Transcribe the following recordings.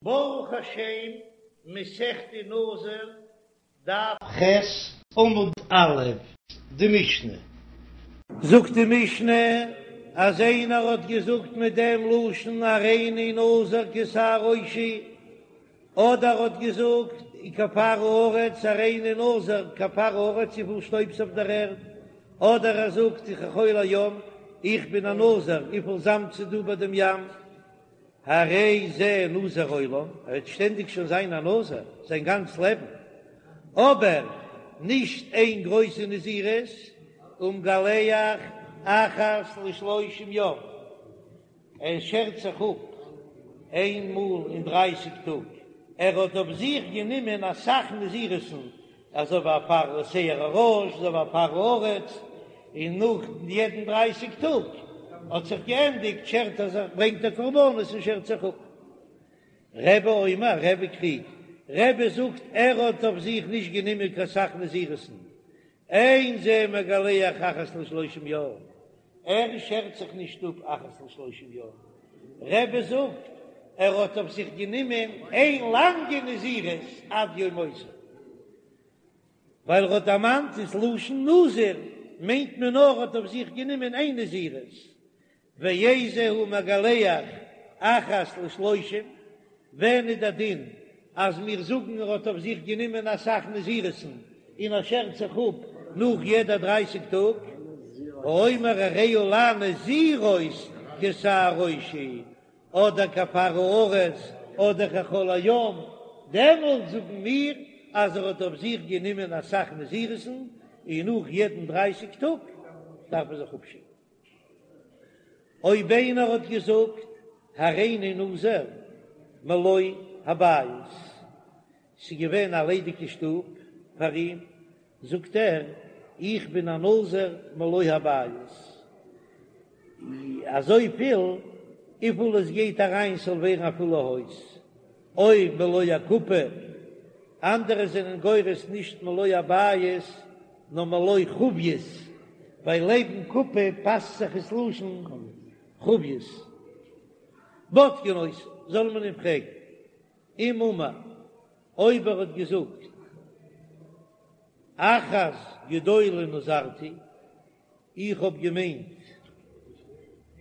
ברוך השם, מסכת נזיר, דף ח', עמוד א', די משנה. זאגט די משנה אז איינער האט געזאגט מיט דעם לשון הריני נזיר כשער ראשי, אדער האט געזאגט כעפר הארץ הריני נזיר כעפר הארץ וויפיל שטויב ס'אויף דער ערד, אדער ער זאגט כחול הים איך בין א נזיר וויפיל זאמד ס'דא ביי דעם ים. הרי זה נזיר עולם, ער וועט שטענדיג שוין זיין א נזיר זיין גאנץ לעבן, אבער נישט איין גרויסע נזירות, ומגלח אחת לשלושים יום, ער שערט זיך אפ איין מאל אין דרייסיג טאג, ער האט אויף זיך גענומען אסאך נזירות'ן, אזוי ווי עפר שער הראש, אזוי ווי עפר הארץ, און נאך יעדן דרייסיג טאג האט זיך געענדיגט שערט ער זיך, ברענגט ער קרבנות און שערט זיך אפ. רבי אומר, רבי קריגט, רבי זאגט ער האט אויף זיך נישט גענומען קיין סך נזירות'ן, אין זה מגלח אחת לשלושים יום, ער שערט זיך נישט אפ אחת לשלושים יום, רבי זאגט ער האט אויף זיך גענומען איין לאנגע נזירות עד יום מותו, ווייל ער האט דערמאנט דאס לשון נזיר מיינט מען נאר ער האט אויף זיך גענומען איין נזירות, ואיזהו מגלח אחת לשלושים, ווען איז דער דין אז מיר זאגן ער האט אויף זיך גענומען אסאך נזירות'ן און ער שערט זיך אפ נאך יעדע דרייסיג טאג, האומר הרי עלי נזירות כשער ראשי, אדער כעפר הארץ אדער כחול הים, דעמאלט זאגן מיר אז ער האט אויף זיך גענומען אסאך נזירות'ן און נאך יעדן דרייסיג טאג דארף ער זיך אפשערן. אויב איינער האט געזאגט הריני נזיר מלא הבית, ס'איז געווען א ליידיגע שטוב פאר אים, זאגט ער איך בין א נזיר מלא הבית, אזויפיל וויפיל עס גייט אריין ס'זאל ווערן א פולע הויז, או מלא הקופה, אנדערע זענען גורס נישט מלא הבית נאר מלא חביות, ווייל לעבן קופה פאסט זיך עס לשון חביות. בודקין אותו, זאל מען אים פרעגן, אם אמר, אויב ער האט געזאגט אחת גדולה נזרתי, איך האב געמיינט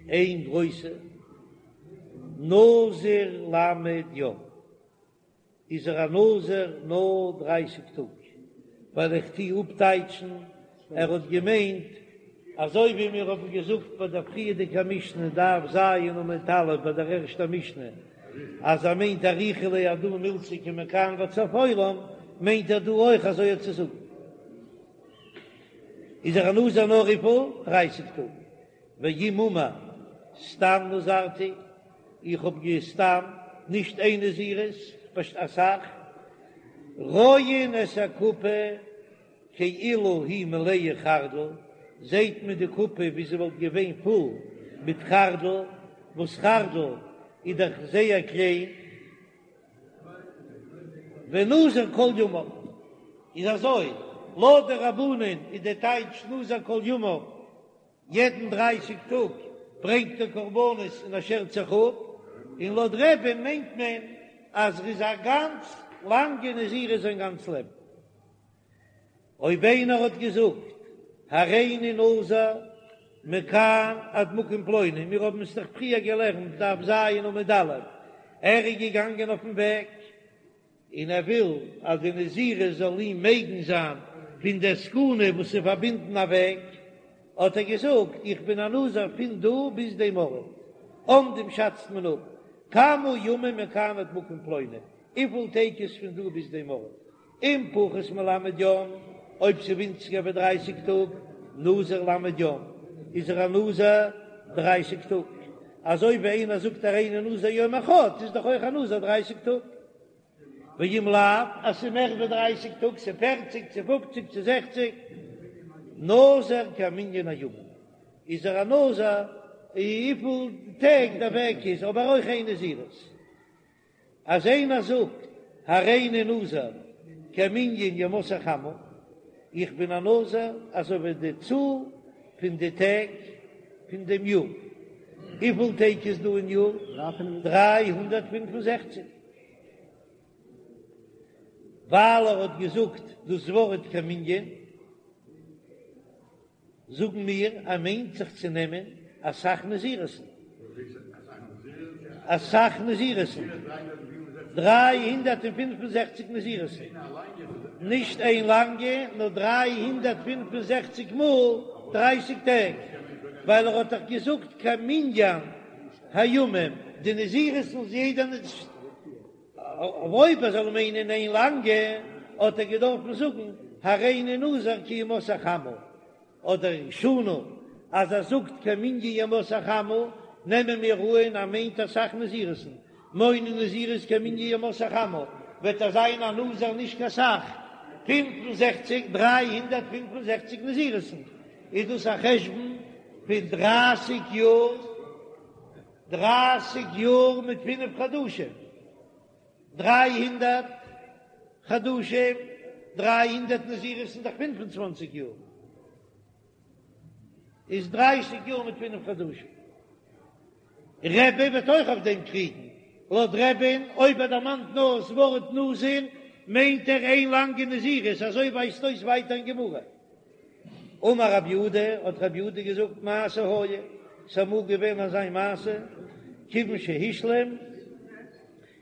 איין גרויסע נזיר ל' יום, איז ער א נזיר נאר דרייסיג טאג, ווייל איך טוה אפטייטשן ער האט געמיינט אזוי ווי מיר האבן געזאגט ביי דער פריערדיגע משנה דף ז עמוד א' ביי דער ערשטער משנה אז ער מיינט אריכא ליה הדא מילתא כמכאן ועד סוף עולם, מיינט ער דא אויך אזוי צו זאגן. איז ער א נזיר נאר וויפיל? דרייסיג טאג. ואם אמר סתם נזרתי, איך האב גע סתם, נישט איין נזירות, פשט אסאך, רואין את הקופה כאילו היא מלאה חרדל, זעהט מען די קופה ווי זי וואלט געווען פול מיט חרדל, וואס חרדל איז דאך זייער קליין. ונזיר כל ימיו איז אזוי, לויט די רבנן איז די טייטש נזיר כל ימיו יעדן דרייסיג טאג ברענגט ער קרבנות און ער שערט זיך אפ, און לויט רבי'ן מיינט מען אז ער איז א גאנץ לאנגע נזירות זיין גאנץ לעבן. אויב איינער האט געזאגט הריני נזיר מכאן עד מקום פלוני, מיר האבן עס דאך פריער געלערנט דף ז עמוד א', ער איז געגאנגען אויפן וועג און ער וויל אז די נזירות זאל אים מגין זיין פון דער סכנה וואס איז פארבינדן א וועג, האט ער געזאגט איך בין א נזיר פון דא ביז דעם ארט, אומדים שאצט מען אפ כמה ימים מכאן עד מקום פלוני, וויפיל טעג איז פון דא ביז דעם ארט, אם פחות מל' יום, אויב ס'איז ווינציגער ווי דרייסיג טאג, נזיר ל' יום, איז ער א נזיר דרייסיג טאג. אזוי ווי איינער זאגט הריני נזיר יום אחד, איז דאך אויך א נזיר דרייסיג טאג. ואם לאו, אז ס'איז מער ווי דרייסיג טאג, ס'איז פערציג, צו פופציג, צו זעכציג, נזיר כמנין הימים, איז ער א נזיר וויפיל טעג דער וועג איז, אבער אויך איין נזירות. אז איינער זאגט הריני נזיר כמנין ימות החמה, איך בין א נזיר אזוי ווי די צאל פון די טעג פון דעם יאר, וויפיל טעג איז דא אין יאר? 365. ווייל ער האט געזאגט דאס ווארט כמנין, זאגן מיר ער מיינט זיך צו נעמען אסאך נזירות'ן, אסאך נזירות'ן, 365 נזירות'ן, נישט איין לאנגע, נאר 365 מאל דרייסיג טעג, ווייל ער האט דאך געזאגט כמנין הימים, די נזירות'ן איז יעדע אויב ער זאל מיינען איין לאנגע, האט ער געדארפן זאגן הריני נזיר כימות החמה, אדער שנה, אז ער זאגט כמנין ימות החמה, נעמען מיר אן ער מיינט אסאך נזירות'ן, מונה נזירות כמנין ימות החמה, וועט ער זיין א נזיר נישט קיין סך, 65, 365 נזירות'ן, איז דאס א חשבון פון דרייסיג יאר. דרייסיג יאר מיט פינף חדשים, 300 חדשים, 300 נזירות איז דאך פינף און צוואנציג יאר, איז דרייסיג יאר מיט פינף חדשים. רבי וועט אויך אויף דעם קריגן, לויט רבי'ן אויב ער דערמאנט נאר דאס ווארט נזיר מיינט ער איין לאנגע נזירות, אזוי ווייזט אויס ווייטער אין גמרא. אמר רב יהודה, האט רב יהודה געזאגט, מעשה היה, ס'איז אמאל געווען אזא מעשה, כיוון שהשלים,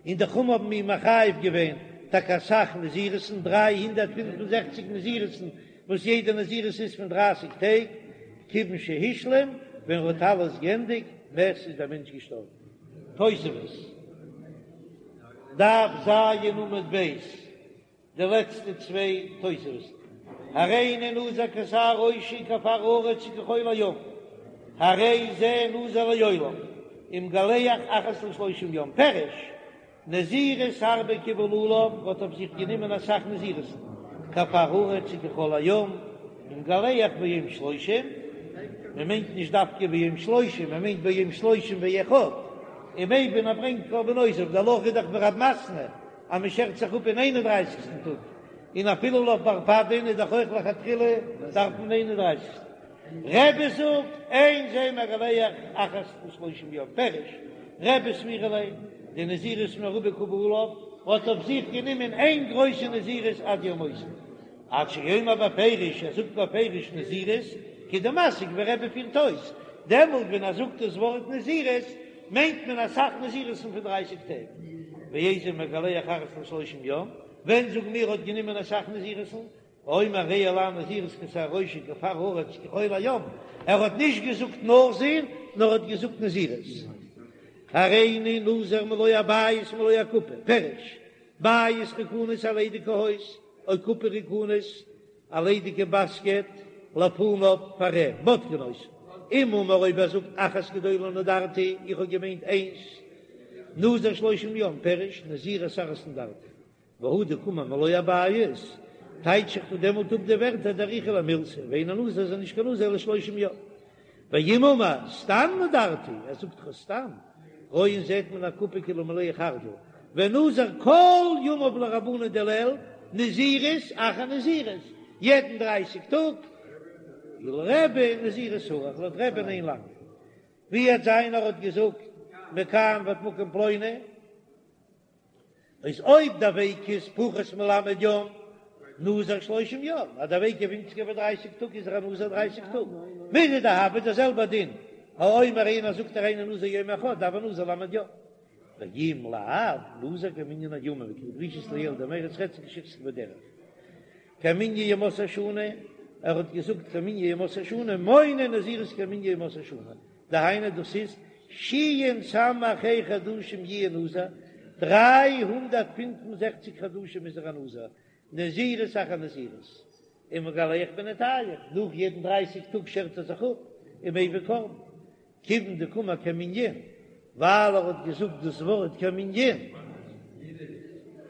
און די חכמים האבן אים מחייב געווען טאקע אסאך נזירות'ן, 365 נזירות'ן, וואס יעדע נזירות איז פון דרייסיג טעג, כיוון שהשלים, ווען ער האט אלעס געענדיגט, מת, איז דער מענטש געשטארבן. תוספות, דף ז עמוד ב'. די לעצטע צוויי תוספות, הריני נזיר כשער ראשי כעפר הארץ וכחול הים, הרי זה נזיר לעולם, ומגלח אחת לשלושים יום, פירוש, נזירות הרבה קיבל עליו, האט אויף זיך גענומען אסאך נזירות'ן, כעפר הארץ וכחול הים, ומגלח ביום שלושים, מען מיינט נישט דווקא ביום שלושים, מען מיינט ביום שלושים ואחד, ומביא און ער ברענגט קרבנותיו, די הלכה איז דאך ווי רב מתנה, אז מען שערט זיך אפ אין איין און דרייסיגסטן טאג, און אפילו לויט בר פדין איז דאך אויך לכתחילה דארף מען איין און דרייסיגסטן. רבי זאגט אין זה מגלח אחת לשלושים יום, פירוש, רבי סבירא ליה, דנזירות מרובה קבל עליו, האט אויף זיך גענומען איין גרויסע נזירות עד יום מותו. עד שיאמר בפירוש, ער זאגט בפירוש נזירות, כדמסיק ווי רבי פירט אויס, דעמאלט ווען ער זאגט דאס ווארט נזירות, מיינט מען אסאך נזירות'ן פון דרייסיג טעג. ואיזהו מגלח אחת לשלושים יום, ווען זאגן מיר האט גענומען אסאך נזירות'ן, האומר הרי עלי נזירות כשער ראשי כעפר הארץ כחול הים, ער האט נישט געזאגט נזיר, נאר האט געזאגט נזירות. הריני נזיר מלא הבית מלא הקופה, פירוש, בית ריקנית א ליידיגע הויז, או קופה ריקנית, א ליידיגע באסקעט, לפניו פאר אים, בודקין אותו. אם אמר אויב ער זאגט אחת גדולה נדרתי, איך האב געמיינט איינס, נזיר שלושים יום, פירוש, נזירות אחת נדרתי. והא דקאמר מלא הבית, טייטש איך פון דעמאלט אפ די ווערטער דאריכא למילתא, ואינו נזיר איז ער נישט קיין נזיר אלא שלושים יום. ואם אמר סתם נדרתי, ער זאגט דאך סתם, רואין זעט מען אקופה כאילו מלאה חרדל, ונזיר כל ימיו לרבנן דלעיל, נזירות אחר נזירות, יעדן דרייסיג טאג, ולרבי נזירות ארוך, לויט רבי'ן איין לאנג, ווי וועט זיין ער האט געזאגט מכאן ועד מקום פלוני. איז אויב דער וועג איז פחות מל' יום, נזיר שלושים יום, אז דער וועג איז ווינציגער ווי דרייסיג טאג איז ער א נזיר דרייסיג טאג, מידי דהוה דער זעלבער דין, האומר איינער זאגט הריני נזיר יום אחד הוי נזיר ל' יום, ואם לאו, נזיר כמנין הימים וכדדרישית לעיל דמרץ רצון כשחזיק בדרך, כמנין ימות השנה, ער האט געזאגט כמנין ימות השנה, מונה נזירות כמנין ימות השנה, דהיינו דאס איז שין סמך ה' חדשים יהיה נזיר, 365 חדשים איז ער א נזיר, נזירות אחר נזירות, ומגלח בינתים, נאך יעדן דרייסיג טאג שערט ער זיך אפ, ומביא קרבן, כיוון דקאמר כמנין, ווייל ער האט געזאגט דאס ווארט כמנין,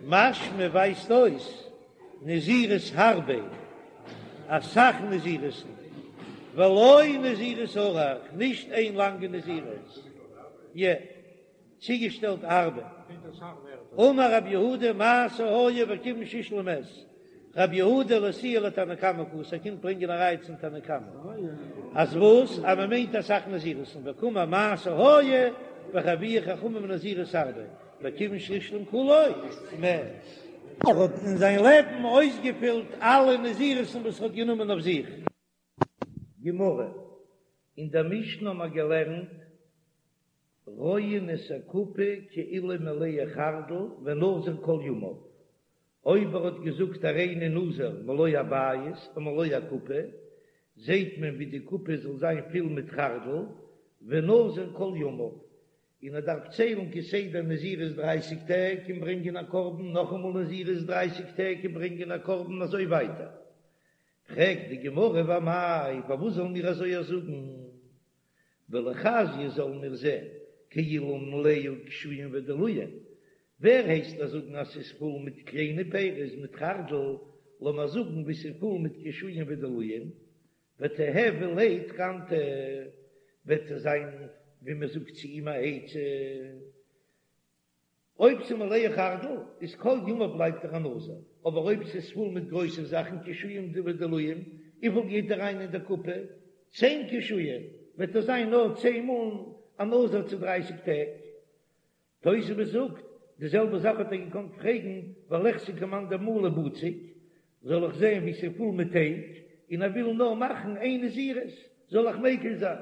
משמע ווייזט אויס נזירות הרבה, אסאך נזירות'ן, ולא נזירות ארוך, נישט איין לאנגע נזירות, יע, צוגעשטעלט הרבה. אמר רב יהודה מעשה היה וכיוון שהשלים מת, רב יהודה לאתויי לתנא קמא קאתי, ער קומט ברענגען א ראיה צום תנא קמא, אז וואס? אז מען מיינט אסאך נזירות'ן, וקאמר מעשה היה וחייבוהו חכמים נזירות הרבה, וכיוון שהשלים כולו מת. ער האט אין זיין לעבן אויסגעפילט אלע נזירות'ן וואס ער האט גענומען אויף זיך. גמרא, אין דער משנה האבן מיר געלערנט, רואין את הקופה כאילו מלאה חרדל ונזיר כל ימיו, אויב ער האט געזאגט הריני נזיר מלא הבית או מלא הקופה, זעט מען ווי די קופה זאל זיין פול מיט חרדל, ונזיר כל ימיו, און ער דארף ציילן כסדר נזירות דרייסיג טעג און ברענגען א קרבן, נאכאמאל נזירות דרייסיג טעג און ברענגען א קרבן, אזוי ווייטער. פרעגט די גמרא ואמאי, פארוואס זאלן מיר אזוי זאגן? וליחזייה זאלן מיר זען כאילו מלאה קישואים ודלועין, ווער הייסט דיר זאגן אז ס'איז פול מיט קליינע פירות מיט חרדל, לאמיר זאגן ווי ס'איז פול מיט קישואים ודלועין, ותיהוי ליה תקנתא, וועט עס זיין ווי מען זאגט צו אים א עצה. אויב ס'איז מלאה חרדל איז כל ימיו בלייבט ער א נזיר, אבער אויב ס'איז פול מיט גרויסע זאכן קישואים ודלועים, וויפיל גייט אריין אין די קופה? צען קישואים, וועט ער זיין נאר צען מאל א נזיר צו דרייסיג טעג. תוספות זאגט, די זעלבע זאך האט ער געקאנט פרעגן וליחזי כמאן דמלי בצק, זאל איך זען ווי ס'איז פול מיט טייג, און ער וויל נאר מאכן איין נזירות, זאל איך מיקל זיין?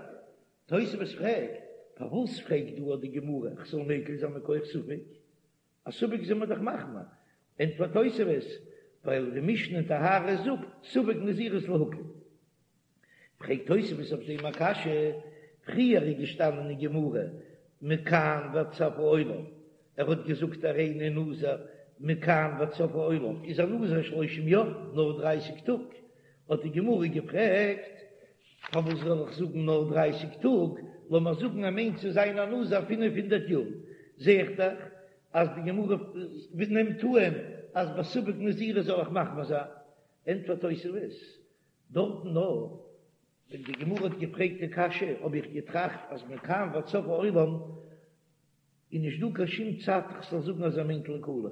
תוספות פרעגט, פארוואס פרעגט דא די גמרא איך זאל מיקל זיין מכח ספק? א ספק איז מען דאך מחמיר. ענטפערט תוספות, ווייל די משנה אין טהרות זאגט ספק נזירות להקל. פרעגט תוספות אויף דעם א קשיא, פריער איז געשטאנען אין גמרא מכאן ועד סוף העולם, ער האט געזאגט הריני נזיר מכאן ועד סוף העולם, איז א נזיר שלושים יום, נאר דרייסיג טאג, האט די גמרא געפרעגט, פארוואס זאל איך זאגן נאר דרייסיג טאג, לאמיר זאגן ער מיינט צו זיין א נזיר פינף הונדערט יאר, זע איך דאך אז די גמרא נעמט אן אז בספק נזירות זאל איך מחמיר זיין, ענטפערט תוספות, דארטן נאר ווען די גמרא האט געפרעגט די קשיא האב איך געטראכט אז מכאן ועד סוף העולם איז נישט דא קיין שום צד כ'זאל זאגן אז ער מיינט לקולא,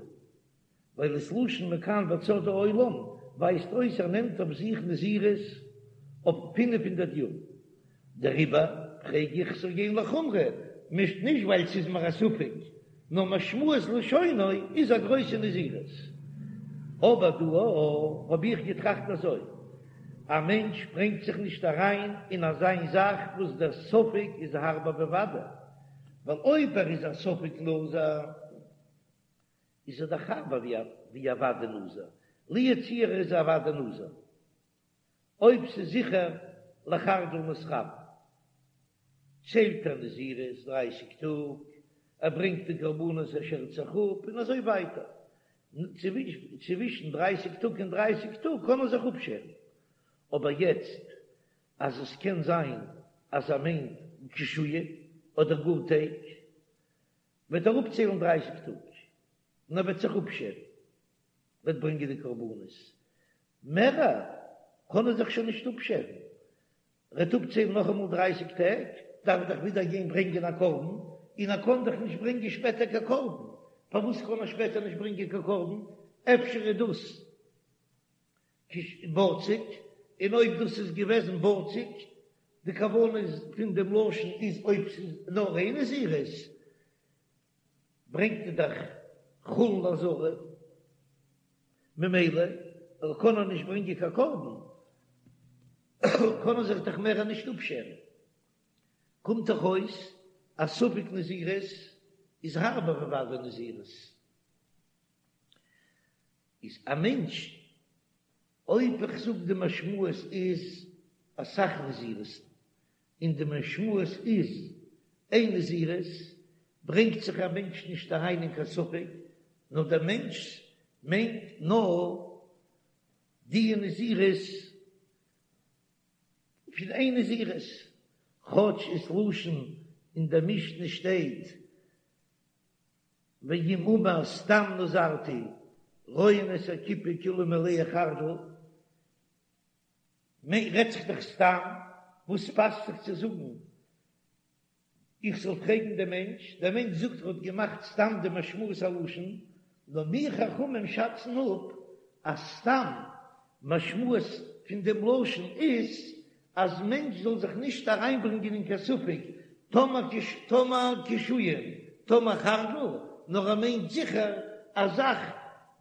ווייל דאס לשון מכאן ועד סוף העולם ווייזט אויס ער נעמט אויף זיך נזירות אויף 500 יאר, דעריבער פרעג איך ס'זאל גיין לחומרא, נישט נישט ווייל ס'איז מיר א ספק, נאר משמעות לשונו איז א גרויסע נזירות. אבער דא האב איך געטראכט אזוי, א מענטש ברענגט זיך נישט אריין אין אזיין זאך וואס דער ספק איז הארבער ווי ודאי, ווייל אויב ער איז א ספק נזיר, איז ער דאך הארבער ווי א ודאי נזיר, לו יצוייר ער איז א ודאי נזיר. אויב ס'איז זיכער לחרדל מתכוין, ציילט ער נזירות דרייסיג טאג, ער ברענגט די קרבנות ער שערט זיך אפ און אזוי ווייטער, צווישן דרייסיג טאג און דרייסיג טאג קען ער זיך אפשערן, אבער יעצט אז עס קען זיין אז ער מיינט קישואים אדער גאר טייג, וועט ער אפציילן דרייסיג טאג און ער וועט זיך אפשערן, וועט ברענגען די קרבנות, מערער קען ער זיך שוין נישט אפשערן, ר'עט אפציילן נאכאמאל דרייסיג טעג, דארף ער דאך ווידער גיין ברענגען א קרבן, און ער קען דאך נישט ברענגען שפעטער קיין קרבן, פארוואס קען ער שפעטער נישט ברענגען קיין קרבן? אפשר איז דאס בצק, און אויב דאס איז געוועזן בצק, די כוונה איז פון דעם לשון איז אויב ס'איז נאר איין נזירות, ברענגט ער דאך חולין לעזרה, ממילא קען ער נישט ברענגען קיין קרבן, קען ער זיך דאך מער נישט אפשערן, קומט דאך אויס אז ספק נזירות איז הארבער ווי ודאי נזירות. איז א מענטש, אויב איך זאג די משמעות איז אסאך נזירות, און די משמעות איז איין נזירות, ברענגט זיך א מענטש נישט אריין אין קיין ספק, נאר דער מענטש מיינט נאר די נזירות פון איין נזירות, כאטש ס'לשון אין דער משנה שטייט ואם אמר סתם נזרתי רואין את הקופה כאילו מלאה חרדל, רעדט זיך דאך סתם, וואס פאסט זיך צו זאגן איך זאל פרעגן דעם מענטש, דער מענטש זאגט ער האט געמאכט סתם די משמעות הלשון, נאר מיר חכמים שאצן אפ אז סתם משמעות פון דעם לשון איז אז מענטש זאל זיך נישט אריינברענגען אין קיין ספק טאמער קישואים טאמער חרדל, נאר ער מיינט זיכער א זאך.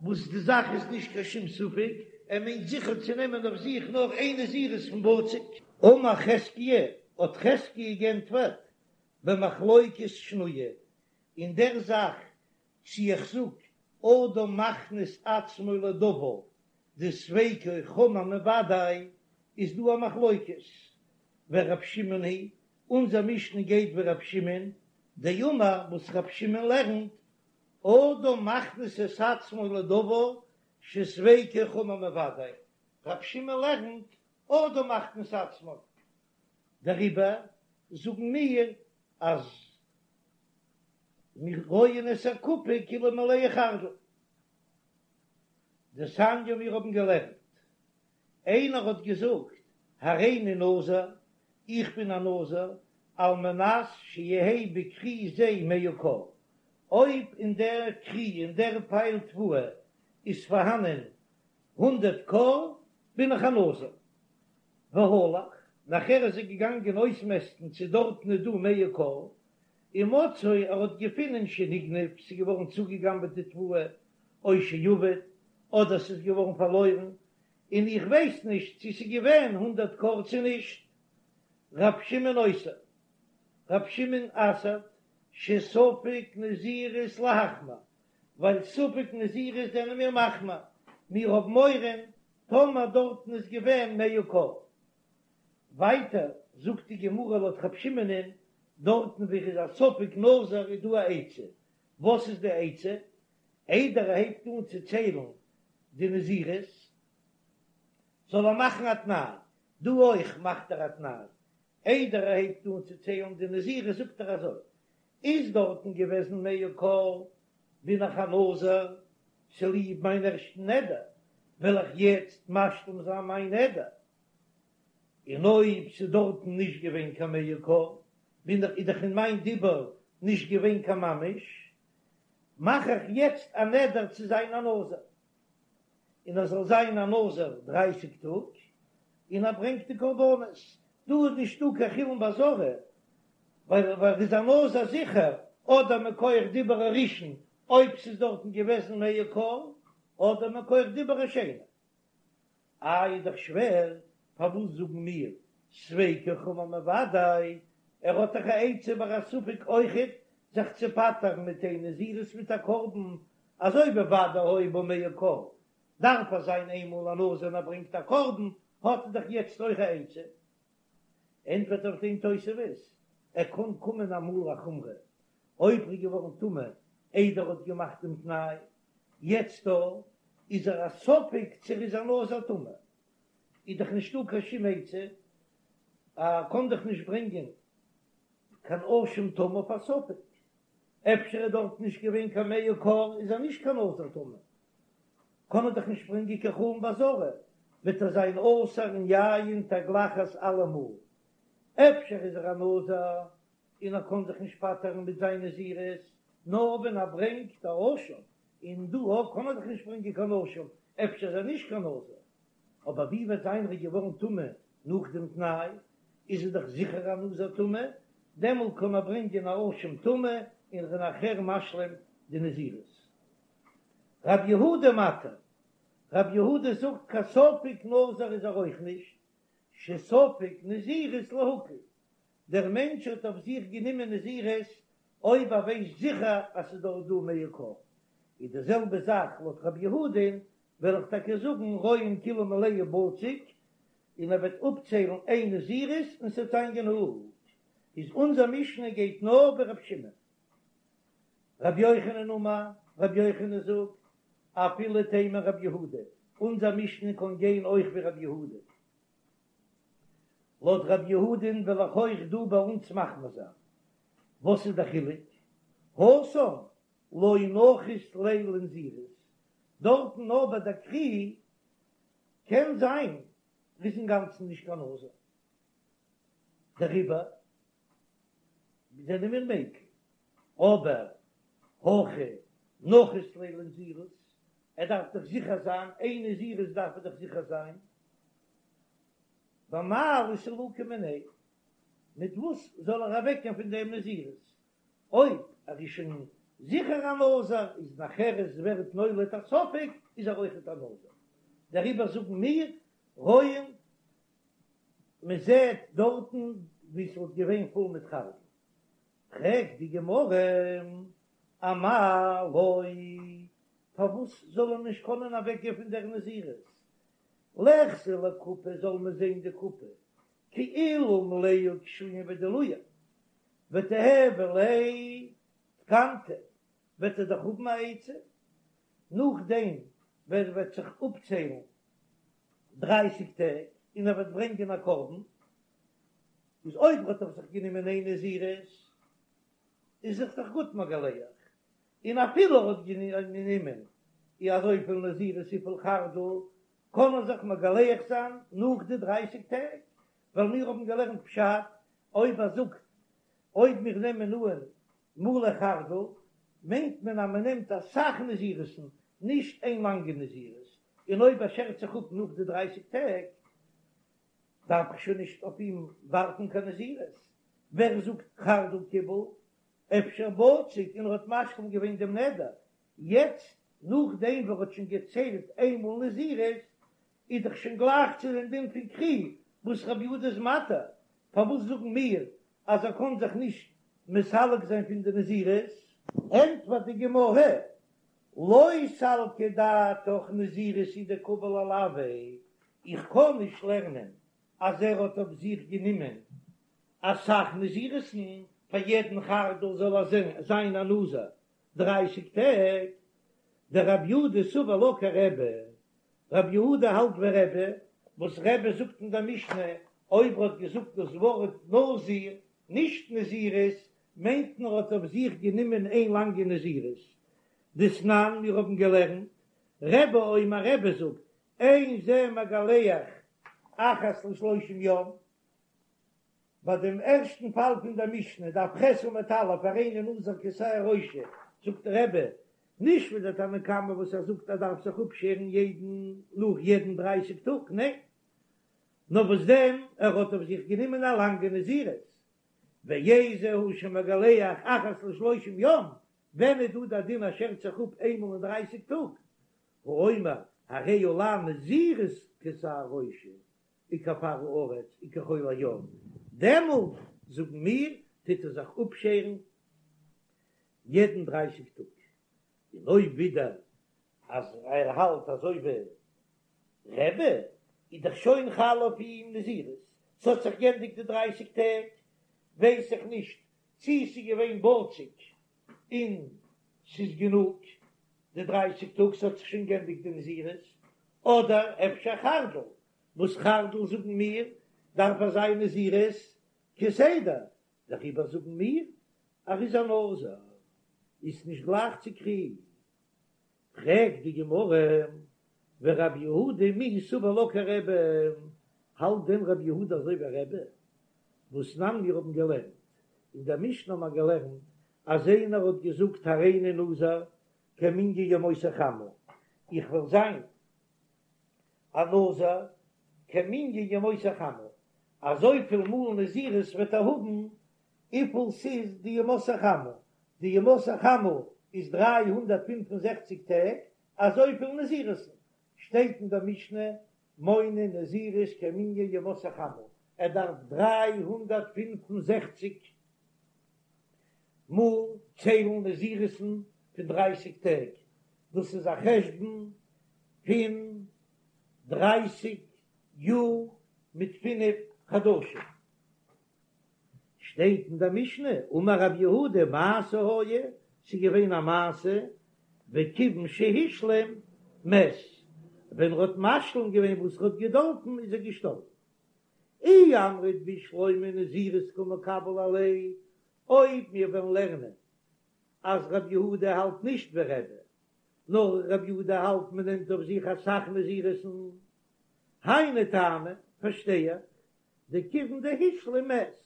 וואס די זאך איז נישט קיין שום ספק, ער מיינט זיכער צו נעמען אויף זיך נאר איין נזירות פון בצק. אמר חזקיה, האט חזקיה גענטפערט, במחלוקת שנויה, אין דער זאך צי איך זאג אדם מכניס עצמו לדבר דספיקו חמור מוודאי, איז דא א מחלוקת, ורב שמעון היא, אונזער משנה גייט ווי רב שמעון, דאמר וואס רב שמעון לערנט, אדם מכניס את עצמו לדבר שספיקו חמור מוודאי, רב שמעון לערנט אדם מכניס עצמו, דעריבער זאגן מיר אז מיר רואין את הקופה כאילו מלאה חרדל. דתניא מיר האבן געלערנט, איינער האט געזאגט הריני נזיר, איך בין א נזיר, על מנת שיהא בכרי זה מאה כור, אויב אין דער כרי אין דער פייל תבואה איז פארהאנען הונדרעט כור בין איך א נזיר. והלך, נאכער איז ער געגאנגען אויסמעסטן צו דארטן איז דא מאה כור, ומצאו ער האט געפונען שנגנב, ס'איז געווארן צוגעגנבעט די תבואה, או שאבד, אדער ס'איז געווארן פארלוירן, און איך ווייס נישט צו ס'איז געווען הונדרעט כור צו נישט. ר' שמעון אוסר, ר' שמעון אסר'ט שספק נזירות להחמיר, ווייל ספק נזירות זענען מיר מחמיר, מיר האבן מורא טאמער דארטן איז געווען מאה כור. ווייטער זאגט די גמרא לויט ר' שמעונ'ען, דארטן וואו איז א ספק נזיר איז דא א עצה, וואס איז די עצה? איידער ער הייבט אן צו ציילן די נזירות זאל ער מאכן א תנאי, דא אויך מאכט ער א תנאי, איידער ער הייבט אן צו ציילן די נזירות זאגט ער אזוי, איז דארטן געוועזן מאה כור בין איך א נזיר צוליב מיין ערשטן נדר, וועל איך יעצט משלים זיין מיין נדר, און אויב ס'איז דארטן נישט געווען קיין מאה כור, בין איך איז דאך אין מיין דיבור נישט געווען קיין ממש, מאך איך יעצט א נדר צו זיין א נזיר, און ער זאל זיין א נזיר דרייסיג טאג, און ער ברענגט די קרבנות, דא איז נישטא קיין חולין בעזרה, ווייל ער איז א נזיר זיכער, אדער מכח דיבור הראשון אויב ס'איז דארטן געוועזן מאה כור, אדער מכח דיבור השני. איי איז דאך שווער, פארוואס זאגן מיר ספיקו חמור מוודאי, ער האט דאך א עצה ביי א ספק אויכעט זיך צו פטר'ן מיט איין נזירות מיט א קרבן, אזוי ווי ודאי היו בו מאה כור, דארף ער זיין איינמאל א נזיר און ער ברענגט א קרבן, האט ער דאך יעצט אויך א עצה. ענטפערט אויף דעם תוספות, ער קען קומען אמאל א חומרא, אויב ער איז געווארן טמא איידער ער האט געמאכט דעם תנאי, יעצט דא איז ער א ספק צו ער איז א נזיר טמא, איז דאך נישטא קיין שום עצה, ער קען דאך נישט ברענגען קיין אשם טמא אויף א ספק, אפשר איז דארט נישט געווען קיין מאה כור איז ער נישט קיין נזיר טמא, קען ער דאך נישט ברענגען קיין חולין בעזרה, וועט ער זיין אסור אין יין תגלחת אלעמאל, אפשר איז ער א נזיר און ער קען זיך נישט פטר'ן מיט זיין נזירות, נאר ווען ער ברענגט א אשם, און דא אויך קען ער דאך נישט ברענגען קיין אשם, אפשר איז ער נישט קיין נזיר, אבער ווי וועט זיין ער איז געווארן טמא נאך דעם תנאי, איז ער דאך זיכער א נזיר טמא, דעמאלט קען ער ברענגען א אשם טמא און ער איז נאכער משלים די נזירות. רב יהודה מתיר, רב יהודה זאגט קיין ספק נזיר איז ער אויך נישט, שספק נזירות להקל, דער מענטש האט אויף זיך גענומען נזירות אויב ער ווייסט זיכער אז ס'איז דארט דא מאה כור, איז די זעלבע זאך לויט רב יהודה'ן, וועל איך טאקע זאגן רואין כאילו מלאה בצק, און ער וועט אפציילן איין נזירות און ס'וועט זיין גענוג. איז אונזער משנה גייט נאר ווי רב שמעון. רבי יוחנן אמר, רבי יוחנן זאגט, אפילו תימא רבי יהודה, אונזער משנה קען גיין אויך ווי רבי יהודה. לויט רבי יהודה'ן וועל איך אויך דא ביי אונז מחמיר זיין. וואס איז דער חילוק? התם לא נחית ליה לנזירות, דארטן נאר ביי דער כרי קען זיין ער איז אינגאנצן נישט קיין נזיר, דעריבער זענען מיר מיקל, אבער הכא נחית ליה לנזירות, ער דארף דאך זיכער זיין, איין נזירות דארף ער דאך זיכער זיין, במאי לסלוקי מיניה, מיט וואס זאל ער אוועקגיין פון דעם נזירות, אויב ער איז שוין. זיכער א נזיר, איז נאכהער עס ווערט נולד א ספק איז ער אויכעט א נזיר, דעריבער זאגן מיר רואים מען זעט דארטן ווי ס'וואלט געווען פול מיט חרדל. פרעגט די גמרא אמאי לא, פארוואס זאל ער נישט קענען אוועקגיין פון דער נזירות? ליחזי לקופה זאל מען זען די קופה כאילו מלאה קישואים ודילויים, ותיהוי ליה תקנתא, וועט ער דאך האבן א עצה נאכדעם ווען ער וועט זיך אפציילן דרייסיג טעג און ער וועט ברענגען א קרבן, איז אויב האט ער זיך גענומען איין נזירות איז זיך דאך גוט מגלח, און אפילו ער האט גענומען אי אזויפיל נזירות וויפיל חרדל, קען ער זיך מגלח זיין נאך די דרייסיג טעג, ווייל מיר האבן געלערנט פשט, אויב ער זאגט אויב מיר נעמען אן מלא חרדל, מיינט מען אז מען נעמט אסאך נזירות'ן, נישט איין לאנגע נזירות, און אויב ער שערט זיך אפ נאך די דרייסיג טעג, דארף איך שוין נישט אויף אים ווארטן קיין נזירות. ווער זאגט חרדל קיבל? אפשר בצק און ער האט משלים געווען דעם נדר, יעצט נאכדעם וואס ער האט שוין געציילט איינמאל נזירות, איז דאך שוין גלייך צו דעם דין פון כרי וואס רבי יהודה איז מתיר, פארוואס זאגן מיר אז ער קען זיך נישט מסלק זיין פון די נזירות? ענטפערט די גמרא, לא סלקא דעתך נזירות הוא דקביל עילויה, איך קען נישט לערנען אז ער האט אויף זיך גענומען אסאך נזירות'ן, פאר יעדן חרדל זאל ער זיין א נזיר דרייסיג טעג, דרבי יהודה סבר לה כרבי, רבי יהודה האלט ווי רבי, וואס רבי זאגט אין דער משנה, אויב ער האט געזאגט דאס ווארט נזיר, נישט נזירות, מיינט מען ער האט אויף זיך גענומען איין לאנגע נזירות. דתנן, מיר האבן געלערנט, רבי אומר רבי זאגט, אין זה מגלח אחת לשלושים יום, ביי דעם ערשטן פאל פון דער משנה, דף ח' עמוד א', הריני נזיר כשער ראשי, זאגט רבי, נישט ווי דער תנא קמא וואס ער זאגט ער דארף זיך אפשערן יעדן נאך יעדן דרייסיג טאג, ניין, נאר וואס דען, ער האט אויף זיך גענומען א לאנגע נזירות, ואיזהו שמגלח אחת לשלושים יום, ווען איז דא דער דין אז שערט זיך אפ איינמאל אין דרייסיג טאג, האומר הרי עלי נזירות כשער ראשי, וכעפר הארץ וכחול הים, דעמאלט זאגן מיר טוט ער זיך אפשערן יעדן דרייסיג טאג, און אויב ווידער אז ער האלט אזוי ווי רבי איז דאך שוין חל אויף אים נזירות, ס'האט זיך גענדיגט די דרייסיג טעג, ווייס איך נישט צי ס'איז געווען בצק און ס'איז גענוג די דרייסיג טאג, ס'האט זיך שוין גענדיגט די נזירות, אדער אפשר חרדל, וואס חרדל זאגן מיר דארף ער זיין נזירות כסדר, דעריבער זאגן מיר ער איז א נזיר, איז נישט גלייך צו כרי. פרעגט די גמרא, ורב יהודה מי סבר לה כרבי, האלט דען רב יהודה אזוי ווי רבי? והתנן מיר האבן געלערנט, אין דער משנה האבן מיר געלערנט אז איינער האט געזאגט הריני נזיר כמנין ימות החמה, איך וועל זיין א נזיר כמנין ימות החמה, אזויפיל מאל נזירות וועט ער האבן וויפיל ס'איז די ימות החמה, די ימות החמה איז 365 טעג, אזויפיל נזירות'ן שטייט אין דער משנה מונה נזירות כמנין ימות החמה, ער דארף 365 מאל ציילן נזירות'ן פון דרייסיג טעג, דאס איז א חשבון פון דרייסיג יאר מיט פינף חדשים. שטייט אין דער משנה, אמר רב יהודה מעשה היה, ס'איז געווען א מעשה, וכיוון שהשלים מת, ווען ער האט משלים געווען וואס ער האט געדארפן איז ער געשטארבן. אי אמרת בשלמא נזירות קא מקבל עליה, אויב מיר וועלן לערנען אז רב יהודה האלט נישט ווי רבי, נאר רב יהודה האלט מען נעמט אויף זיך אסאך נזירות'ן, היינו טעמא, פארשטיי איך, דכיוון דהשלים מת,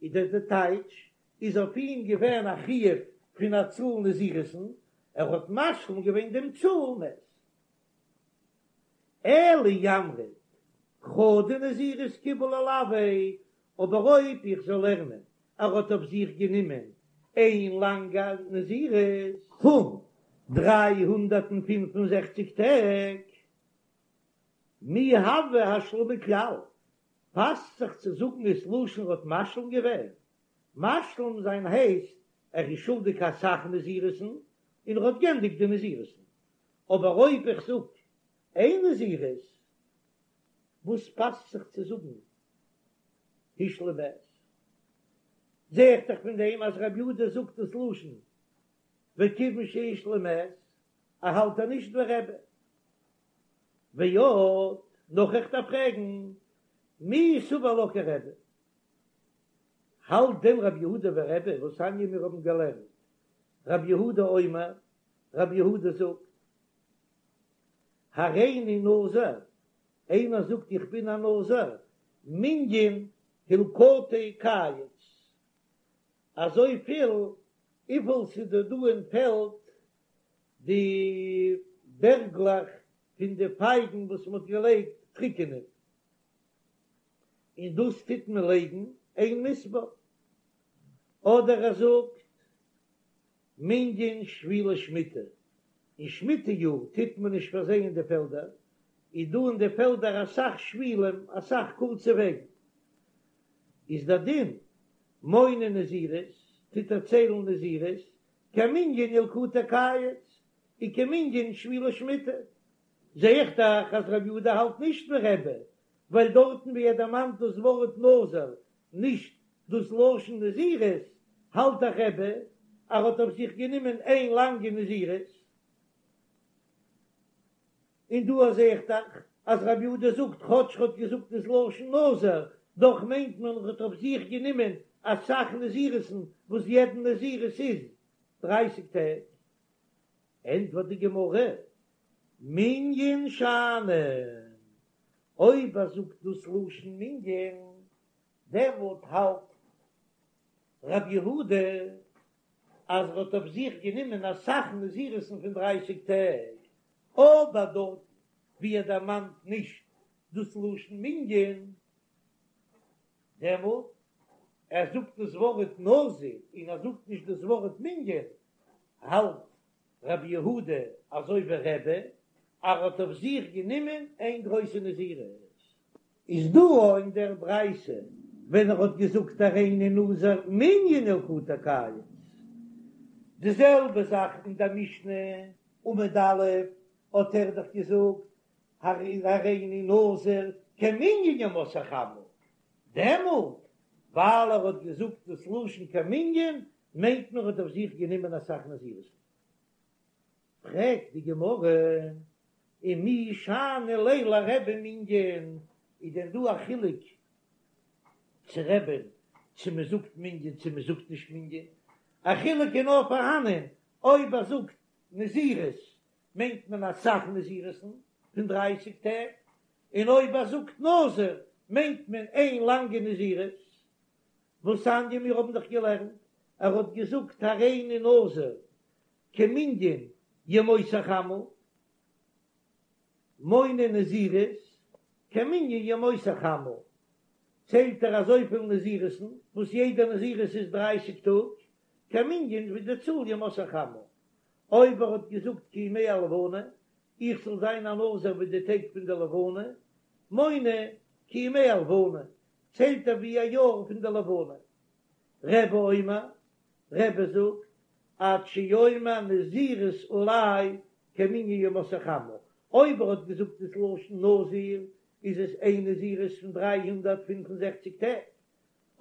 איז דער די טייטש איז אויף אים געווען א חיוב פון א צאל נזירות'ן, ער האט משלים געווען דעם צאל מת. אלא אי אמרת חדא נזירות קיבל עילויה, אבער אויב איך זאל לערנען ער האט אויף זיך גענומען. איין לאנגע נזירות פון 365 טעג, מי הוי השלמה כלל, פאסט זיך צו זאגן עס לשון האט משלים געווען? משלים זיין הייסט ער איז שולדיג אסאך נזירות'ן און ער האט גענדיגט די נזירות'ן, אבער אויב איך זאג איין נזירות, וואס פאסט זיך צו זאגן השלים מת? זע איך דאך פון דעם אז רבי יהודה זאגט דאס לשון וכיוון שהשלים מת, ער האלט ער נישט ווי רבי. ועוד, נאך איך דארף פרעגן, מי סבר לה כרבי? האלט דען רבי יהודה ווי רבי, והתניא מיר האבן געלערנט, רבי יהודה אומר, רבי יהודה זאגט, הריני נזיר, איינער זאגט איך בין א נזיר, מנין הלקטי קיץ, אזויפיל וויפיל ס'איז דא דא אין פעלד די בערגלעך פון די פייגן וואס מ'האט געלייגט טריקענען, און דאס טוט מען לייגן אין מספר, אדער ער זאגט מנין שבילי שמיטה, אין שמיטה יאר טוט מען נישט פארזייען די פעלדער, איז דא אין די פעלדער אסאך שבילים, אסאך קורצע וועגן, איז דער דין מונה נזירות, טוט ער ציילן נזירות, כמנין ילקוטי קיץ, וכמנין שבילי שמיטה. זע איך דאך אז רבי יהודה האלט נישט ווי רבי, ווייל דארטן ווי ער דערמאנט דאס ווארט נזיר, נישט דאס לשון נזירות, האלט דאך רבי אז ער האט אויף זיך גענומען איין לאנגע נזירות. און דא זע איך דאך אז רבי יהודה זאגט כאטש ער האט געזאגט דאס לשון נזיר, דאך מיינט מען ער האט אויף זיך גענומען אסאך נזירות'ן וואס יעדן נזירות איז דרייסיג טעג. ענטפערט די גמרא, מנין שאני, אויב ער זאגט דאס לשון מנין, דעמאלט האלט רבי יהודה אז ער האט אויף זיך גענומען אסאך נזירות'ן פון דרייסיג טעג, אבער דארט ווי ער דערמאנט נישט דאס לשון מנין, דעמאלט ער זאגט דאס ווארט נזיר און ער זאגט נישט דאס ווארט מנין, האלט רבי יהודה אזוי ווי רבי, אז ער האט אויף זיך גענומען איין גרויסע נזירות. איז דא אין דער ברייתא ווען ער האט געזאגט הריני נזיר מנין ילקוטי קיץ, די זעלבע זאך אין דער משנה עמוד א' האט ער דאך געזאגט הריני נזיר כמנין ימות החמה, דעמאלט ווייל ער האט געזאגט דאס לשון כמנין מיינט מען ער האט אויף זיך גענומען אסאך נזירות. פרעגט די גמרא, ומי שאני ליה לרבי מנין, איז דען דא א חילוק צו רבי'ן צו מען זאגט מנין צו מען זאגט נישט מנין? א חילוק איז נאר פארהאנען אויב ער זאגט נזירות מיינט מען אסאך נזירות'ן פון דרייסיג טעג, און אויב ער זאגט נזיר מיינט מען איין לאנגע נזירות. והתניא מיר האבן דאך געלערנט, ער האט געזאגט הריני נזיר כמנין ימות החמה, מונה נזירות כמנין ימות החמה, ציילט ער אזויפיל נזירות'ן וואס יעדע נזירות איז דרייסיג טאג, כמנין ווי די צאל ימות החמה. אויב ער האט געזאגט כימי הלבנה, איך זאל זיין א נזיר ווי די טעג פון די לבנה, מונה כימי הלבנה, ציילט ער ווי א יאר פון די לבנה. רבי אומר, רבי זאגט, עד שיאמר נזירות עלי כמנין ימות החמה, אויב ער האט געזאגט דאס לשון נזיר איז עס איין נזירות פון 365 טעג,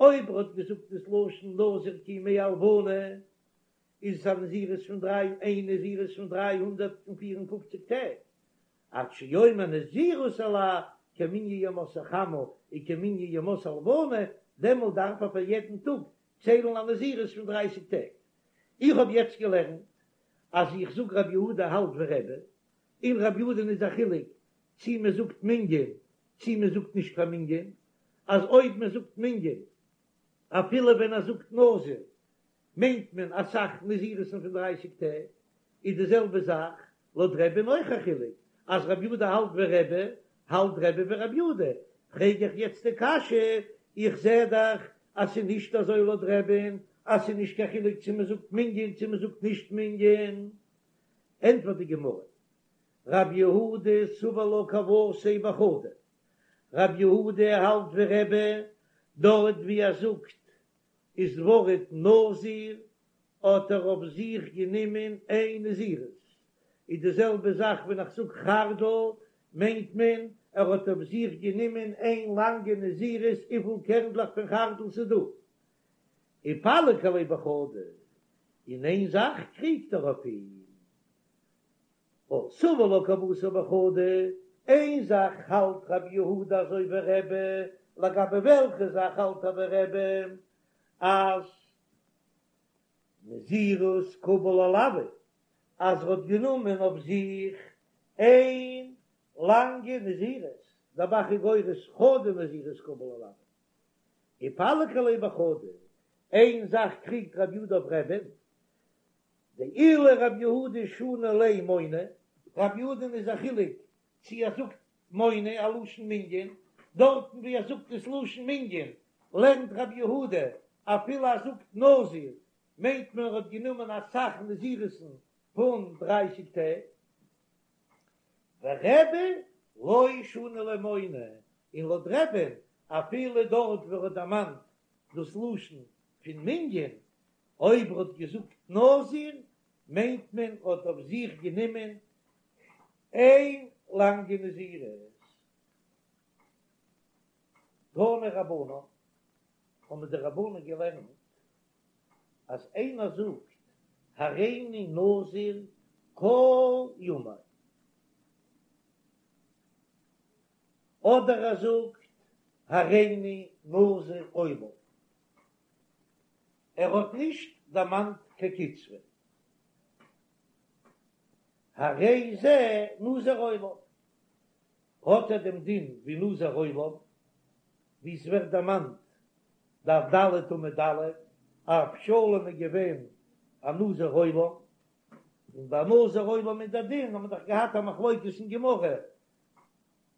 אויב ער האט געזאגט דאס לשון נזיר כימי הלבנה איז עס א נזירות פון דריי איין נזירות פון 354 טעג, עד שיאמר נזירות עלי כמנין ימות החמה וכמנין ימות הלבנה, דעמאלט דארף ער פאר יעדן טאג ציילן א נזירות פון דרייסיג טעג. איך האב יעצט געלערנט אז איך זאג רבי יהודה האלט ווי רבי, און רבי יהודה'ן איז א חילוק צי מען זאגט מנין צי מען זאגט נישט קיין מנין, אז אויב מען זאגט מנין אפילו ווען ער זאגט נזיר מיינט מען אסאך נזירות'ן פון דרייסיג טעג, איז די זעלבע זאך לויט רבי'ן אויך א חילוק אז רבי יהודה האלט ווי רבי, האלט רבי ווי רבי יהודה, פרעג איך יעצט די קשיא, איך זע דאך אז ס'איז נישט אזוי לויט רבי'ן. אז ס'איז נישט קיין חילוק צו מ'זאגט מנין צו מ'זאגט נישט מנין. ענטפערט די גמרא, רב יהודה סבר לה כוותיה בחדא, רב יהודה האלט ווי רבי, דארט ווי ער זאגט איז ווארט נזיר האט ער אויף זיך גענומען איין נזירות, איז די זעלבע זאך ווען איך זאג חרדל מיינט מען ער האט אויף זיך גענומען איין לאנגע נזירות וויפיל קערנדלעך פון חרדל ס'איז דא, ופליג עליה בחדא, אין איין זאך קריגט ער אויף אים. סבר לה כוותיה בחדא, איין זאך האלט רבי יהודה אזוי ווי רבי, לגבי וועלכע זאך האלט ער ווי רבי? אז נזירות קביל עילויה, אז ער האט גענומען אויף זיך איין לאנגע נזירות, דער ב"ח איז גורס חדא נזירות קביל עילויה, ופליג עליה בחדא, איין זאך קריגט רבי יהודה אויף רבי'ן, דאילו רב יהודה שני ליה מונה, רב יהודה'ן איז א חילוק צו ער זאגט מונה א לשון מנין, דארטן ווי ער זאגט עס לשון מנין לערנט רב יהודה אפילו ער זאגט נזיר מיינט מען ער האט גענומען אסאך נזירות'ן פון דרייסיג טעג, ורבי לא שני ליה מונה, און לויט רבי'ן אפילו דארט ווי ער האט דערמאנט דאס לשון פון מנין אויב ער האט געזאגט נזיר מיינט מען ער האט אויף זיך גענומען איין לאנגע נזירות. תנו רבנן, האבן די רבנן געלערנט אז איינער זאגט הריני נזיר כל ימי, אדער ער זאגט הריני נזיר עולם, ער האט נישט דערמאנט קיין קצבה. הרי זה נזיר עולם, האט ער דעם דין ווי נזיר עולם, ווי עס ווערט דערמאנט דף ד' עמוד א', אבשלום איז געווען א נזיר עולם, און ביי נזיר עולם איז דער דין, האט מען דאך געהאט א מחלוקת אין גמרא,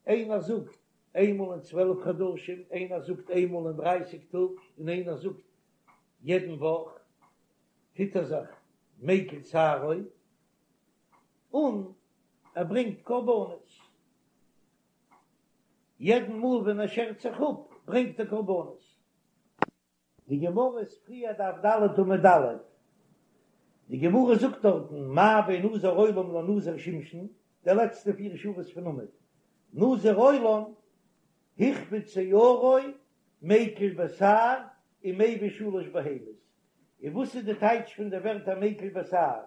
איינער זאגט איינמאל אין צוועלף חדשים, איינער זאגט איינמאל אין דרייסיג טאג, און איינער זאגט יעדן וואך, טוט ער זיך מיקל שערו, און ער ברענגט קרבנות. יעדן מאל ווען ער שערט זיך אפ, ברענגט ער קרבנות. די גמרא איז פריער דף ד' עמוד א', די גמרא זאגט דארטן מה בין נזיר עולם לנזיר שמשון, די לעצטע פיר שורות פון עמוד, נזיר עולם הכביד שערו מיקל בתער ומביא שלש בהמות, און וואס איז די טייטש פון די ווערטער מיקל בתער,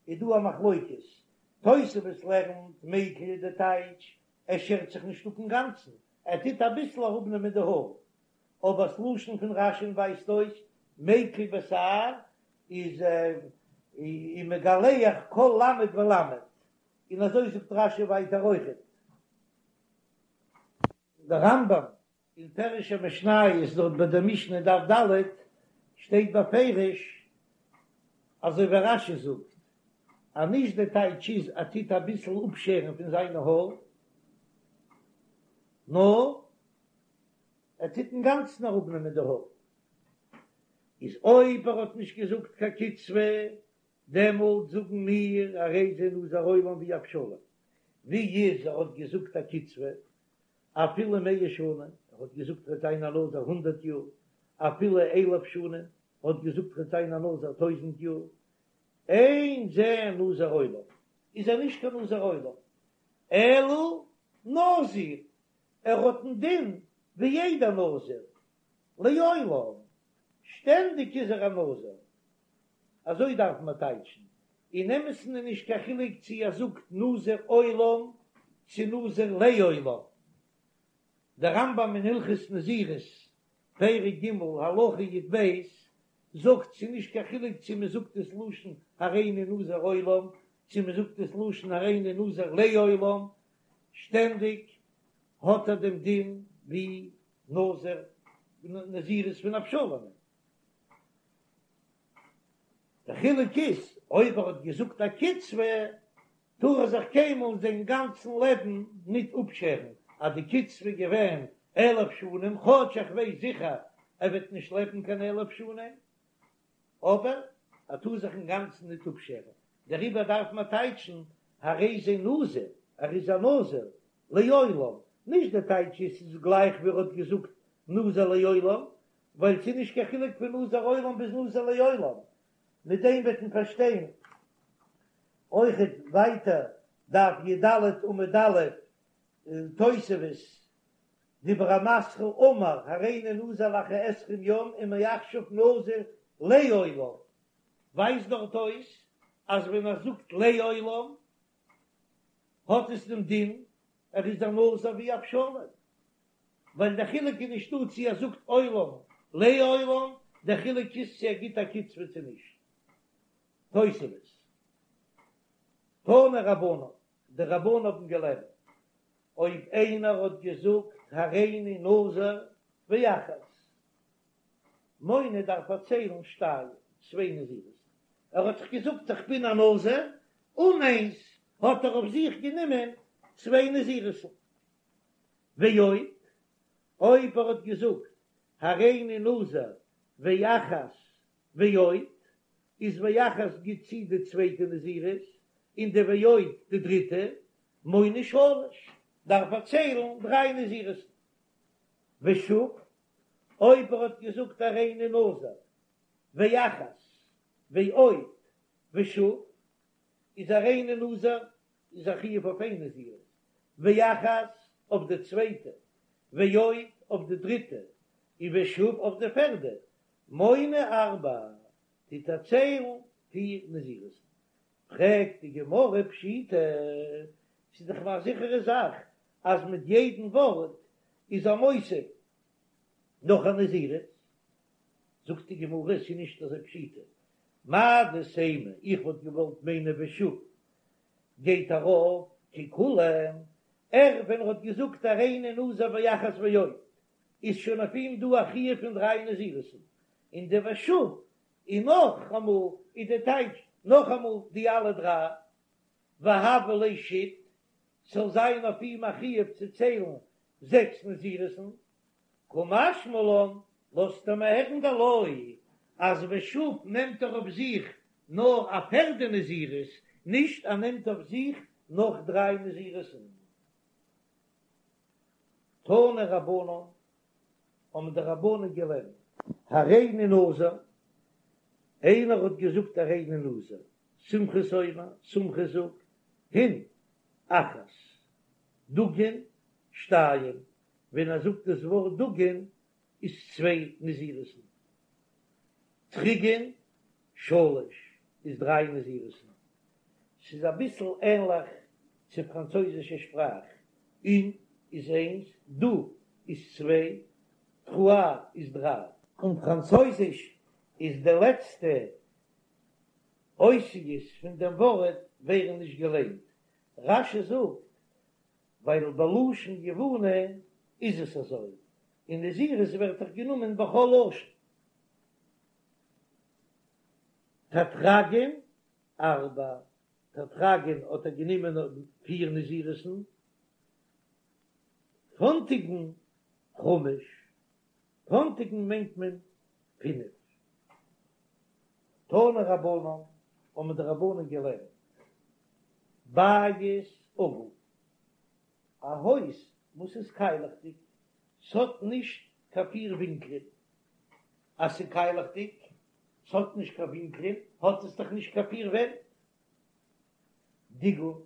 איז דא א מחלוקת, תוספות לערנט מיקל איז די טייטש ער שערט זיך נישט אפ אינגאנצן, ער טוט אביסל אראפנעמען די האר, אבער ס'לשון פון רש"י'ן ווייזט אויס מיקל בתער איז ומגלח כל למד ולמד, און אזוי זאגט רש"י ווייטער אויכעט. דער רמב"ם אין פירוש המשניות דארט ביי דער משנה דף ד' שטייט בפירוש אזוי ווי רש"י זאגט אז נישט די טייטש איז ער טוט אביסל אפשערן פון זיינע האר, נאר ער טוט אינגאנצן אראפנעמען די האר, איז אויב ער האט נישט געזאגט קיין קצבה, דעמאלט זאגן מיר הרי זה נזיר עולם ווי אבשלום, ווי איז ער האט געזאגט א קצבה אפילו מאה שנה, ער האט געזאגט ער וועט זיין א נזיר הונדערט יאר, אפילו אלף שנה, ער האט געזאגט ער וועט זיין א נזיר טויזנט יאר, אין זה נזיר עולם, איז ער נישט קיין נזיר עולם, אלא נזיר, ער האט דעם דין ווי יעדער נזיר, לעולם, שטענדיג איז ער א נזיר, אזוי דארף מען טייטשן, אין אמת'ן איז נישט קיין חילוק צו ער זאגט נזיר עולם צו נזיר לעולם, דער רמב"ם אין הלכות נזירות, פרק ג', הלכה י"ב, זאגט ס'איז נישט קיין חילוק צו מען זאגט עס לשון הריני נזיר עולם צו מען זאגט עס לשון הריני נזיר לעולם, שטענדיג האט ער דעם דין ווי נזיר נזירות פון אבשלום. דער חילוק איז אויב ער האט געזאגט א קצבה טאר ער זיך קיינמאל זיין גאנצן לעבן ניט אפשערן, אז די קצבה איז געווען אלף שנים, כאטש איך ווייס זיכער ער וועט נישט לעבן קיין אלף שנים. אבער ער טאר זיך אינגאנצן ניט אפשערן, דעריבער דארף מען טייטשן הרי זה נזיר, ער איז א נזיר לעולם, נישט די טייטש איז ס'איז גלייך ווי ער האט געזאגט נזיר לעולם, ווייל ס'איז נישט קיין חילוק פון נזיר עולם ביז נזיר לעולם, מיט דעם וועט מען פארשטיין אויכעט ווייטער דף י"ד עמוד א' תוספות, דיבור המתחיל אמר הריני נזיר לאחר עשרים יום ומעכשיו נזיר לעולם, ווייזט דארט אויס אז ווען ער זאגט לעולם האט עס דעם דין ער איז א נזיר ווי אבשלום, ווייל דער חילוק איז נישטא צו ער זאגט עולם לעולם, דער חילוק איז צו ער גיט א קצבה צו נישט. תוספות, תנו רבנן, די רבנן האבן געלערנט, אויב איינער האט געזאגט הריני נזיר ואחת, מונה דארף ער ציילן שתיים, צוויי נזירות, ער האט דאך געזאגט איך בין א נזיר, און איינס האט ער אויף זיך גענומען צוויי נזירות'ן. ועוד, אויב ער האט געזאגט הריני נזיר ואחת ועוד, איז ואחת גיט צו די צווייטע נזירות, און די ועוד די דריטע, מונה שלש, דארף ער ציילן דריי נזירות'ן. ושוב, אויב ער האט געזאגט הריני נזיר ואחת ועוד ושוב, איז הריני נזיר איז א חיוב אויף איין נזירות, ואחת אויף די צווייטע, ועוד אויף די דריטע, און ושוב אויף די פערדע, מונה ארבע, טוט ער ציילן פיר נזירות'ן. פרעגט די גמרא פשיטא, ס'איז דאך א זיכערע זאך אז מיט יעדן ווארט איז ער מוסיף נאך א נזירות, זאגט די גמרא ס'איז נישט אזוי פשיטא, מהו דתימא, איך וואלט געוואלט מיינען ושוב גייט ארויף ככולן, ער ווען ער האט געזאגט הריני נזיר ואחת ועוד איז שוין אויף אים דא א חיוב פון דריי נזירות'ן, און די ושוב און נאכאמאל איז די טייטש נאכאמאל די אלע דריי, והוה ליה שית, ס'זאל זיין אויף אים א חיוב צו ציילן זעקס נזירות'ן, קא משמע לן, לאזט ער מיר הערן דלא, אז ושוב נעמט ער אויף זיך נאר א פערדע נזירות, נישט ער נעמט אויף זיך נאך דריי נזירות'ן. תנו רבנן, האבן די רבנן געלערנט. הריני נזיר, איינער האט געזאגט הריני נזיר, סומכוס אומר, סומכוס זאגט, הין, אחת, דגין, שתיים, ווען ער זאגט דאס ווארט דגין איז צוויי נזירות'ן, תריגין, שלש, איז דריי נזירות'ן. ס'איז אביסל ענליך צו פראנצויזישע שפראך, און איז איינס, דו איז צוויי, טרואַ איז דריי. אין פראנצויזיש איז די לעצטע אותיות פון דעם ווארט ווערן נישט געליינט. רש"י זאגט ווייל בלשון יווני איז עס אזוי, און נזירות ווערט דאך גענומען בכל לשון. תטרגין ארבע, תטרגין האט ער גענומען פיר נזירות'ן, פונטיגין חמש, פונטיגין מיינט מען פינף. תנו רבנן, האבן די רבנן געלערנט, בית עגול, א הויז וואס איז קיילעכדיג, ס'האט נישט קיין פיר ווינקלען, אז ס'איז קיילעכדיג, ס'האט נישט קיין ווינקלען, האט עס דאך נישט קיין פיר ווענט. דיגול,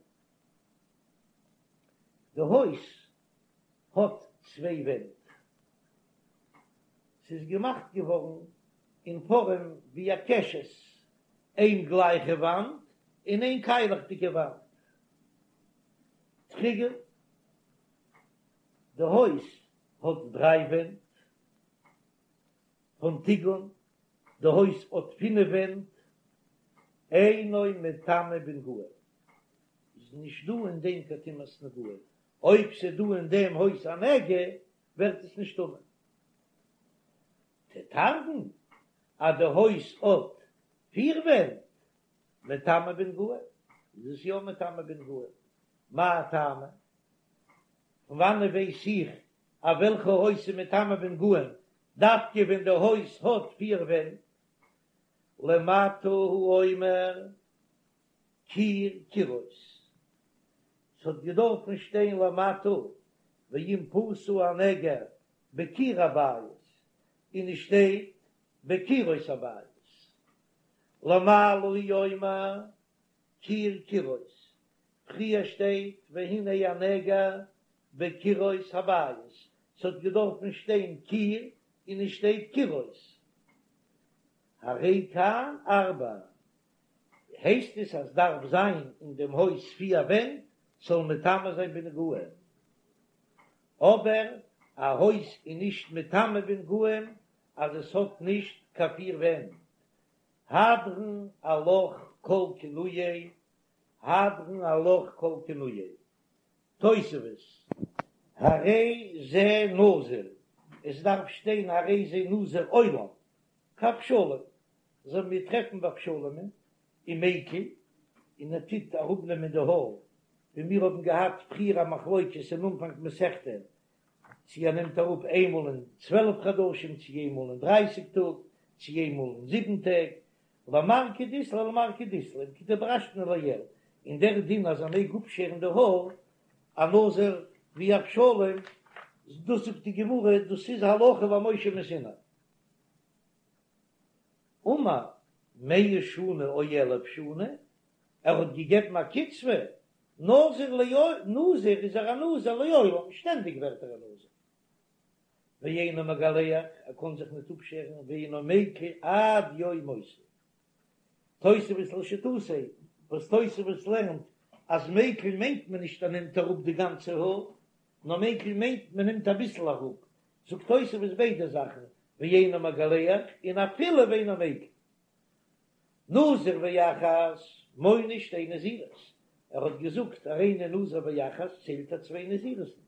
די הויז האט צוויי ווענט, ס'איז געמאכט געווארן אין פארעם ווי א קשת, איין גלייכע וואנט און איין קיילעכדיגע וואנט. תריגון, די הויז האט דריי ווענט. פנטיגון, די הויז האט פינף ווענט. אינו מטמא בנגעים, איז נישט דא אין דעם קיין טומאת נגעים, אויב ס'איז דא אין דעם הויז א נגע ווערט עס נישט טמא. תטרגון, אז די הויז האט פיר ווענט, מטמא בנגעים, איז עס יא מטמא בנגעים. מאי טעמא? פון וואנעט ווייס איך אז וועלכע הויז איז מטמא בנגעים דווקא ווען די הויז האט פיר ווענט? למטה הוא אומר קיר קירות, ס'האט געדארפן שטיין למטה ואם פשה הנגע בקיר הבית, און עס שטייט בקירות הבית. למעלה הוא אומר קיר קירות, פריער שטייט והנה הנגע בקירות הבית, ס'האט געדארפן שטיין קיר און עס שטייט קירות. הרי כאן ארבע, הייסט עס אז דארף זיין אין דעם הויז פיר ווענט ס'זאל מטמא זיין בנגעים, אבער א הויז איז נישט מטמא בנגעים אז עס האט נישט קיין פיר ווענט, הדרן עלך כל כינויי, הדרן עלך כל כינויי. תוספות, הרי זה נזיר, עס דארף שטיין הרי זה נזיר עולם, כאבשלום, אזוי ווי מיר טרעפן ביי אבשלומ'ן ומיקל, און ער טוט אראפנעמען די האר, ווי מיר האבן געהאט פריער א מחלוקת אין אנפאנג מסכתא, צי ער נעמט אראפ איינמאל אין 12 חדשים, צי איינמאל אין דרייסיג טאג, צי איינמאל אין זיבן טעג, למר כדאית ליה למר כדאית ליה, כדדרשנו לעיל, און דער דין אז ער מעג אפשערן די האר, א נזיר ווי אבשלום, דאס זאגט די גמרא, דאס איז הלכה למשה מסיני. אמר מאה שנה או אלף שנה, ער האט געגעבן א קצבה, נזיר נזיר איז ער א נזיר לעולם, שטענדיג ווערט ער א נזיר. ואינו מגלח, ער קען זיך ניט אפשערן, ואינו מיקל עד יום מותו. תוספות לשיטתו, וואס תוספות לערנט אז מיקל מיינט מען נישט ער נעמט אראפ די גאנצע האר, נאר מיקל מיינט מען נעמט אביסל אראפ, זאגט תוספות ביידע זאכן, ואינו מגלח און אפילו ואינו מיקל. נזיר ואחת מונה שתי נזירות, ער האט געזאגט הריני נזיר ואחת ציילט ער צוויי נזירות'ן,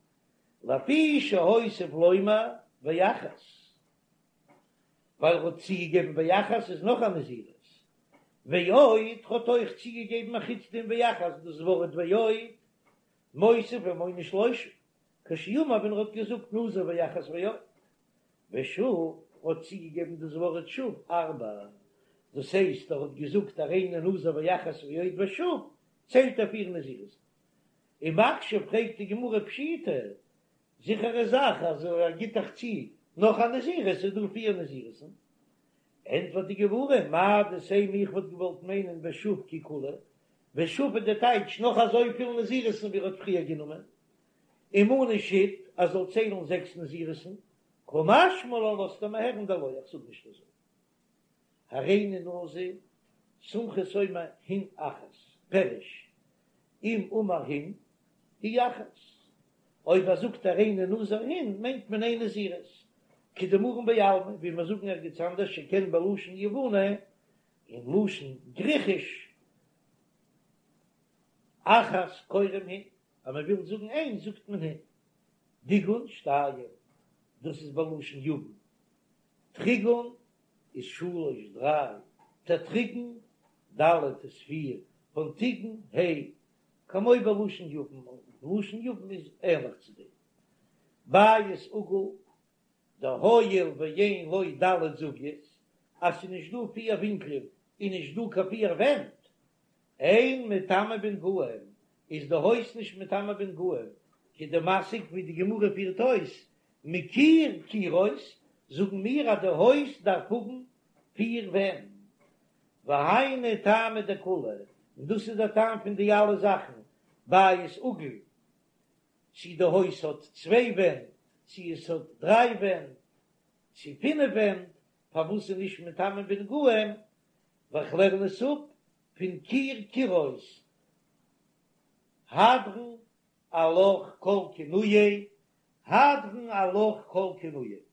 לפי שהוסיף לומר ואחת, ווייל ער האט צוגעגעבן ואחת איז נאך א נזירות, ועוד האט אויך צוגעגעבן א חוץ דעם ואחת דאס ווארט ועוד מוסיף ומונה שלושה, כשאמר ווען ער האט געזאגט נזיר ואחת ועוד, ושוב האט צוגעגעבן דאס ווארט שוב ארבע, דאס הייסט ער האט געזאגט הריני נזיר ואחת ועוד ושוב ציילט ער פיר נזירות. ומקשה פרעגט די גמרא פשיטא, זיכערע זאך אז ער גיט דאך צו נאך א נזירות איז דא פיר נזירות'ן, ענטפערט די גמרא מהו דתימא איך וואלט געוואלט מיינען ושוב כי כולהו, ושוב איז די טייטש נאך אזויפיל נזירות'ן ווי ער האט פריער גענומען, ומני שית ער זאל ציילן זעקס נזירות'ן, קא משמע לן לאזט ער מיר הערן דלא איך זאג נישט אזוי. הריני נזיר, סומכוס אומר הין אחת, פירוש, אם אמר הין, היא אחת. אויב ער זאגט הריני נזיר הין, מיינט מען איין נזירות. כדאמרן בעלמא, ווי מיר זאגן ערגעץ אנדערש שכן בלשון יווני, אין לשון גריכיש, אחת קוראים הין, אז מען וויל זאגן איינס זאגט מען הין. דיגון שתיים, דאס איז בלשון יוון. טריגון איז שלש דריי, טעטריגון ד' איז פיר, פנטיגון ה', כמו בלשון יוון, לשון יוון איז ענליך צו דעם. בית עגול, דהואיל ואין לו ד' זוויות, אז ס'איז נישט דא פיר ווינקלען און נישט דא קיין פיר ווענט, אין מטמא בנגעים, איז די הויז נישט מטמא בנגעים, כדמסיק ווי די גמרא פירט אויס, מקיר קירות, זאגן מיר אז די הויז דארף האבן פיר ווענט, והיינו טעמא דכולהו, און דאס איז דער טעם פון די אלע זאכן, בית עגול, צי די הויז האט צוויי ווענט, צי עס האט דריי ווענט, צי פינף ווענט, פארוואס איז נישט מטמא בנגעים, ווייל כ'לערן עס אפ פון קיר קירות, הדרן עלך כל כינויי, הדרן עלך כל כינויי.